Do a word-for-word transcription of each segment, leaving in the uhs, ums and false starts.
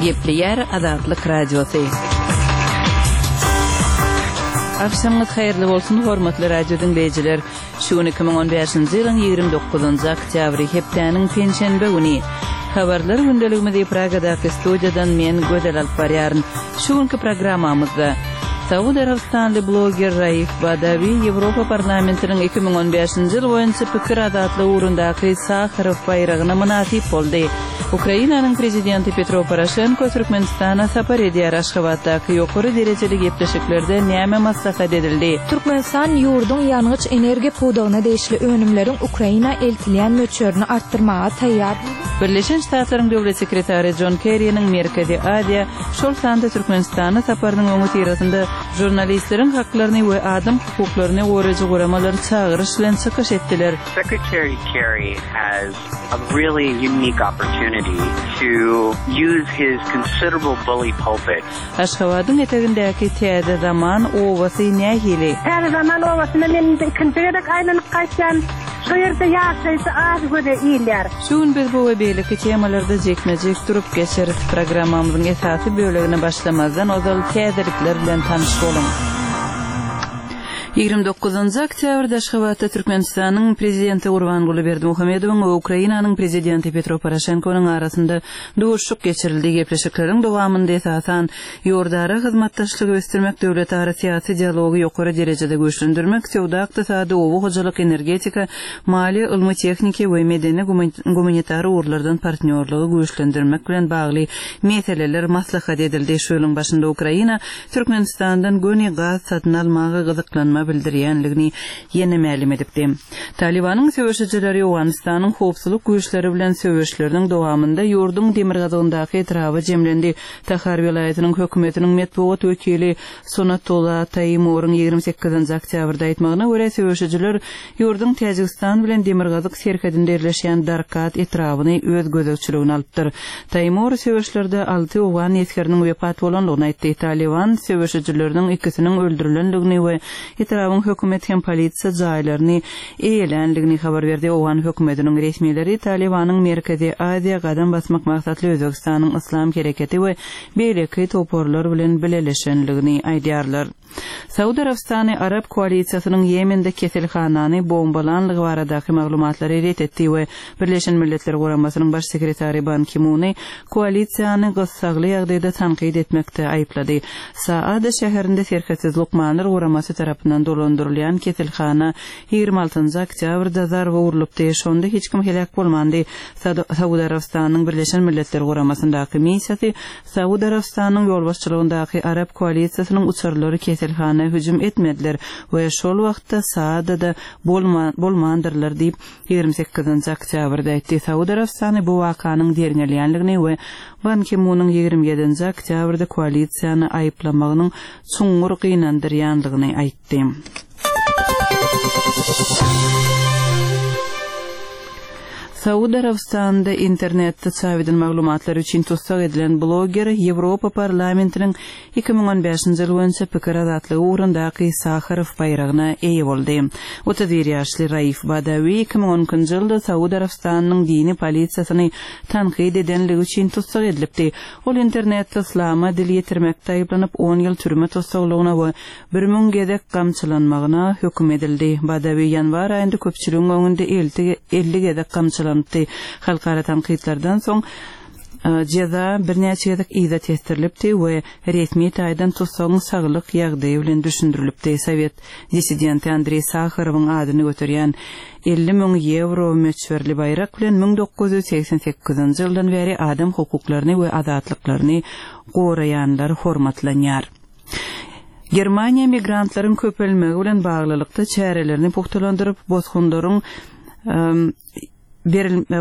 Gepleýär Azatlyk Radiosy. Agşamyňyz haýyrly bolsun, hormatly radio diňleýjiler. Şu gün iki müň on bäşinji ýylyň ýigrimi dokuzynjy oktýabry, hepdäniň penşenbe güni. Habarlar gündeligimizi Pragadaky studiýadan men Gözel alyp barýaryn. Şu günki programmamyzda Saud Arabystanly bloger Raif Badawi Ýewropa Parlamentiniň iki müň on bäşinji ýyl boýunça pikir azatlygy ugrundaky Saharow baýragyna mynasyp boldy. Ukrainanyň Prezidenti Petro Poroşenko Türkmenistana sapar edýär Aşgabatdaky ýokary derejeli gepleşiklerde näme maslahat edildi? Türkmenistan ýurduň ýangyç-energiýa pudagyna degişli önümleriň Ukraina eltilýän möçberini artdyrmaga taýýar. Birleşen Ştatlaryň Döwlet sekretary Jon Kerriniň Merkezi Aziýa, şol sanda Türkmenistana saparynyň öňüsyrasynda žurnalistleriň haklaryny we adam hukuklaryny goraýjy guramalar çagyryş bilen çykyş etdiler. Secretary Kerry has a really unique opportunity to use his considerable bully pulpit. Aşgabadyň etegindäki Täze Zaman obasy nähili? Täze Zaman obasyna men indi ikinji gezek aýlanyp gaýtýan. Şu ýerde ýaşaýjy az göze ilýär. Şu gün biz bu we beýleki temalarda jikme-jik durup geçeris. Programmamyzyň esasy bölegine başlamazdan ozal täzelikler bilen tanyş boluň. Ýigrimi dokuzynjy oktýabrda Aşgabatda Türkmenistanyň Prezidenti Gurbanguly Berdimuhamedowyň we Ukrainanyň Prezidenti Petro Poroşenkonyň arasynda duşuşyk geçirildi. Gepleşikleriň dowamynda esasan ýurdara hyzmatdaşlygy ösdürmek, döwletara syýasy dialogy ýokary derejede güýçlendirmek, söwda-ykdysady, oba hojalyk, energetika, maliýe, ylmy-tehniki we medeni-gumanitar ugurlardan partnýorlygy güýçlendirmek bilen bagly meseleler maslahat edildi. Şu ýylyň başynda Ukraina Türkmenistandan göni gaz satyn almaga gyzyklanma bildirýändigini ýene mälim edipdi. Talybanyň söweşijileri Owganystanyň howpsuzlyk güýçleri bilen söweşleriniň dowamynda ýurduň demirgazygyndaky etraba jemlendi. Tahar welaýatynyň hökümetiniň metbugat wekili Sonatullah Taýmuryň ýigrimi sekizinji oktýabrda aýtmagyna görä, söweşijiler ýurduň Täjigistan bilen demirgazyk serhedinde ýerleşýän Darkat etrabyny öz gözegçiligine alypdyr. Taýmur söweşlerde alty owgan esgeriniň wepat bolandygyny aýtdy. Talyban söweşijileriniň ikisiniň öldürilendigini we etrabyň hökümet hem polisiýa jaýlaryny eýeländigini habar berdi. Owgan hökümetiniň resmileri Talybanyň Merkezi Aziýa gadam basmak maksatly Özbegistanyň Yslam hereketi we beýleki toparlar bilen bileleşendigini aýdýarlar. Saud Arabystany Arap koalisiýasynyň Ýemende keselhanany bombalanlygy baradaky maglumatlary ret etdi we Birleşen Milletler Guramasynyň Baş sekretary Ban Ki-muny koalisiýany gyssagly ýagdaýda tankyt etmekde aýyplady. Saada şäherinde Serhetsiz lukmanlar guramasy tarapyndan dolandyrylýan keselhana ýigrimi altynjy oktýabrda zarba urlupdy, şonda hiç kim heläk bolmandy. Saud Arabystanynyň Birleşen Milletler Guramasyndaky missiýasy Saud Arabystanynyň ýolbaşçylygyndaky Arap koalisiýasynyň uçarlary keselhana hüjüm etmediler we şol wagtda Saadada bolmandyrlar diýip, ýigrimi sekizinji oktýabrda aýtdy. Saud Arabystany bu wakanyň derňelýänligini we Ban Ki-munyň ýigrimi ýedinji oktýabrda koalisiýany aýyplamagynyň çuňňur gynandyrýanlygyny aýtdy. Saud Arabystanynda internetde çap edilen maglumatlar üçin tussag edilen bloger Ýewropa Parlamentiniň iki müň on bäşinji ýyl boýunça pikir azatlygy ugrundaky Saharow baýragyna eýe boldy. Otuz bir ýaşly Raif Badawi iki müň on ikinji ýylda Saud Arabystanynyň dini polisiýasyny tankyt edenligi üçin tussag edilipdi. Ol internetde yslama dil ýetirmekde aýyplanyp, on ýyl türme tussaglygyna we bir müň gezek gamçylanmagyna höküm edildi. Badawi ýanwar aýynda köpçüligiň öňünde elli gezek gamçylanypdy. Halkara tankytlardan soň jeza birnäçe gezek yza tesdirilipdi we resmi taýdan tussagyň saglyk ýagdaýy bilen düşündirilipdi. Sowet dissidenti Andreý Saharowyň adyny göterýän elli müň ýewro möçberli baýrak bilen müň dokuz ýüz segsen sekizinji ýyldan bäri adam hukuklaryny we azatlyklaryny goraýanlar hormatlanýar. Germaniýa migrantlaryň köpelmegi bilen baglylykda çärelerini pugtalandyryp, bosgunlaryň,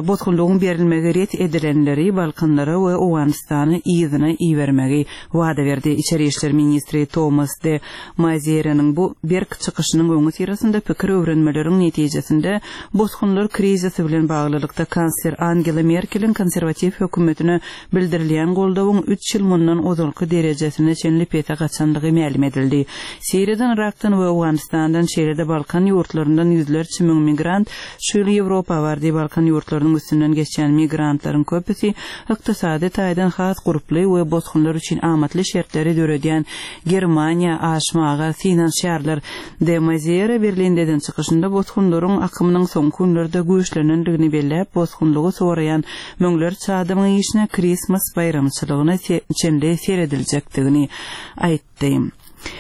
bosgunlygyň berilmegi ret edilenleri Balkanlara we Owganystana yzyna ibermegi wada berdi. Içeri işler ministri Thomas de Maizièreniň bu berk çykyşynyň öňüsyrasynda pikir öwrenmeleriň netijesinde bosgunlar krizisi bilen baglylykda kansler Angela Merkeliň konserwatiw hökümetine bildirilýän goldawyň üç ýyl mundan ozalky derejesine çenli pese gaçanlygy mälim edildi. Siriýadan, Irakdan we Owganystandan, şeýle-de Balkan ýurtlaryndan ýüzlerçe müň migrant şu ýyl Ýewropa bardy. Balkan Balkan ýurtlarynyň üstünden geçýän migrantlaryň köpüsi ykdysady taýdan has gurply we bosgunlar üçin amatly şertleri döredýän Germaniýa aşmaga synanyşýarlar. De Maizière Berlinde eden çykyşynda bosgunlaryň akymynyň soňky günlerde güýçlenendigini belläp, bosgunlygy soraýan müňlerçe adamyň işine Christmas baýramçylygyna çenli serediljekdigini aýtdy.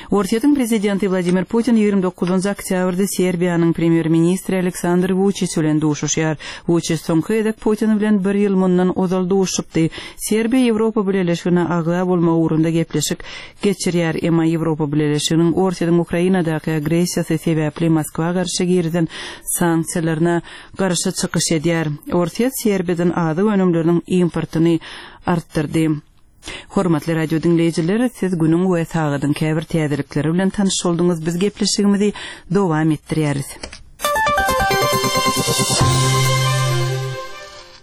Orsýetiň prezidenti Wladimir Putin ýigrimi dokuzynjy oktýabrda Serbiýanyň premýer-ministri Aleksandr Wuçiç bilen duşuşýar. Wuçiç soňky gezek Putin bilen bir ýyl mundan ozal duşuşypdy. Serbiýa Ýewropa Bileleşigine agza bolmak ugrunda gepleşik geçirýär, emma Ýewropa Bileleşiginiň Orsýetiň Ukrainadaky agressiýasy sebäpli Moskwa garşy girizen sanksiýalaryna garşy çykyş edýär. Orsýet Serbiýadan azyk önümleriniň importyny artdyrdy. Hormatly radio diňleýjiler, siz günüň we sagadyň käbir täzelikleri bilen tanyş bolduňyz. Biz gepleşigimizi dowam etdirýäris.